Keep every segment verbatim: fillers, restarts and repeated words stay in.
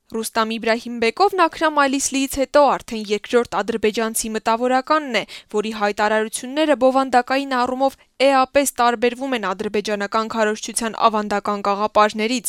Ռուստամ Իբրահիմբեկովն Աքրամ Այլիսլիից հետո արդեն երկրորդ ադրբեջանցի մտավորականն է, որի հայտարարությունները բովանդակային առումով էապես տարբերվում են ադրբեջանական քարոզչության ավանդական գաղափարներից։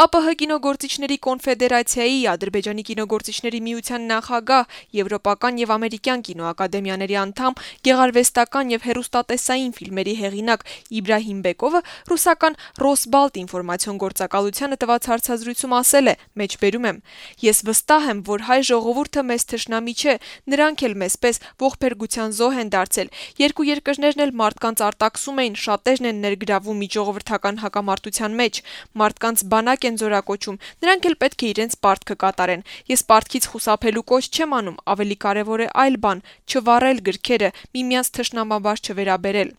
ԱՊՀ կինոգործիչների կոնֆեդերացիայի, Ադրբեջանի կինոգործիչների միության նախագահ, Եվրոպական եւ ամերիկյան կինոակադեմիաների անդամ, գեղարվեստական եւ հեռուստատեսային ֆիլմերի հեղինակ Իբրահիմբեկովը ռուսական Ռոսբալտ ինֆորմացիոն գործակալությանը տված հարցազրույցում ասել է. «Մեջբերում եմ. Ես վստահ եմ, որ հայ ժողովուրդը մեզ թշնամի չէ, նրանք էլ մեզպես ողբերգության զոհ են դարձել։ Երկու երկրներն էլ մարդկանց արտաքսում էին, շատերն են ներգրավում միջժողովրդական հակամարտության մեջ, մարդկանց բանակ են զորակոչում, նրանք էլ պետք է իրենց պարտքը կատարեն։ Ես պարտքից խուսափելու կոչ չեմ անում, ավելի կարևոր է այլ բան՝ չվառել գրքերը, միմյանց թշնամաբար չվերաբերել։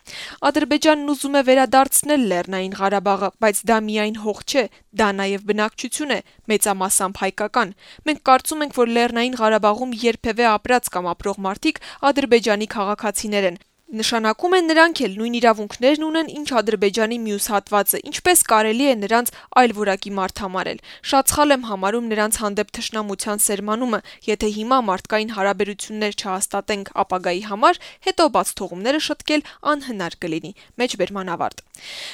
Ադրբեջանն ուզում է վերադարձնել Լեռնային Ղարաբաղը, բայց դա միայն հող չէ, դա նաև բնակչություն է, մեծամասամբ հայկական։ Մենք կարծում ենք, որ Լեռնային Ղարաբաղում երբևէ ապրած կամ ապրող մարդիկ Ադրբեջանի քաղաքացիներ են։ Նշանակում է նրանք էլ նույն իրավունքներն ունեն, ինչ Ադրբեջանի մյուս հատվածը, ինչպես կարելի է նրանց այլ որակի մարդ համարել։ Շատ սխալ եմ համարում նրանց հանդեպ թշնամության սերմանումը, եթե հիմա մարդկային հարաբերություններ չհաստատենք ապագայի համար, հետո բացթողումները շտկել անհնար կլինի»։ Մեջբերման ավարտ։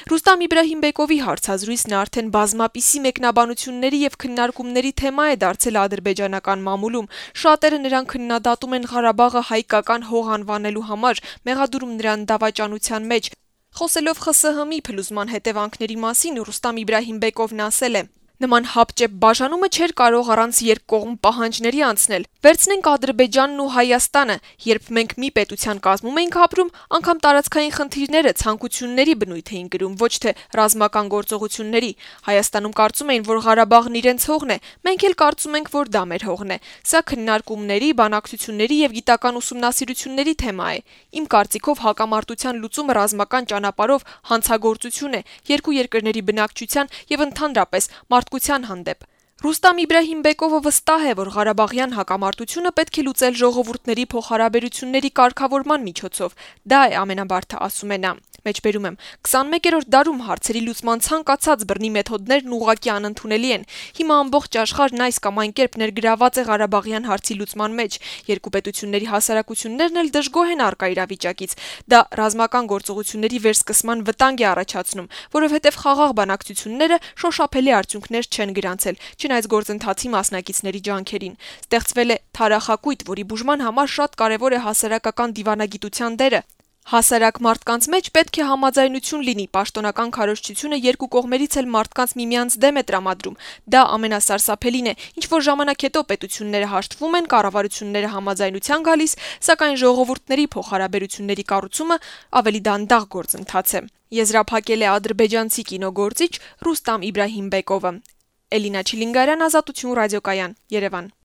Ռուստամ Իբրահիմբեկովի հարցազրույցն արդեն բազմապիսի մեկնաբանությունների եւ քննարկումների թեմա է դարձել ադրբեջանական մամուլում։ Շատերը նրան քննադատում են Ղարաբաղը հայկական հող անվանելու համար, մեղադրում նրան դավաճանության մեջ։ Խոսելով ԽՍՀՄ-ի փլուզման հետևանքների մասին, Ռուստամ Իբրահիմբեկովն ասել է. «Նման հապճեպ բաժանումը չէր կարող առանց երկկողմ պահանջների անցնել։ Վերցնենք Ադրբեջանն ու Հայաստանը, երբ մենք մի պետության կազմում էինք ապրում, անգամ տարածքային խնդիրները ցանկությունների բնույթ էին կրում, ոչ թե ռազմական գործողությունների։ Հայաստանում կարծում էին, որ Ղարաբաղն իրենց հողն է, մենք էլ կարծում ենք, որ դա մեր հողն է։ Սա քննարկումների, բանակցությունների եւ գիտական ուսումնասիրությունների թեմա է։ Իմ կարծիքով հակամարտության լուծումը ռազմական ճանապարհով հանցագործություն է երկու երկրների բնակչության եւ ընդհանրապես մարդկության հանդեպ»։ Ռուստամ Իբրահիմբեկովը վստահ է, որ Ղարաբաղյան հակամարտությունը պետք է լուծել ժողովուրդների փոխհարաբերությունների կարգավորման միջոցով։ Դա է ամենաբարդը, ասում է նա։ Մեջբերում եմ. «քսանմեկերորդ դարում հարցերի լուծման ցանկացած բռնի մեթոդներն ուղղակի անընդունելի են։ Հիմա ամբողջ աշխարհն այս կամ այն կերպ ներգրաված է Ղարաբաղյան հարցի լուծման մեջ։ Երկու պետությունների հասարակություններն էլ դժգոհ են առկա իրավիճակից։ Դա ռազմական գործողությունների վերսկսման վտանգ է առաջացնում, որովհետև խաղաղ բանակցությունները շոշափելի արդյունքներ չեն գրանցել, չնայած գործընթացի մասնակիցների ջանքերին։ Ստեղծվել է թարախակույտ, որի բուժման համար շատ կարևոր է հասարակական դիվանագիտության դերը։ Հասարակ մարդկանց մեջ պետք է համաձայնություն լինի, պաշտոնական քարոզչությունը երկու կողմերից էլ մարդկանց միմյանց դեմ է տրամադրում։ Դա ամենասարսափելին է, ինչ որ ժամանակ հետո պետությունները հաշտվում են, կառավարությունները համաձայնության գալիս, սակայն ժողովուրդների փոխհարաբերությունների կառուցումը ավելի դանդաղ գործընթաց է»։ Եզրափակել է ադրբեջանցի կինոգործիչ Ռուստամ Իբրահիմբեկովը։ Էլինա Չիլինգարյան, Ազատություն ռադիոկայան, Երևան։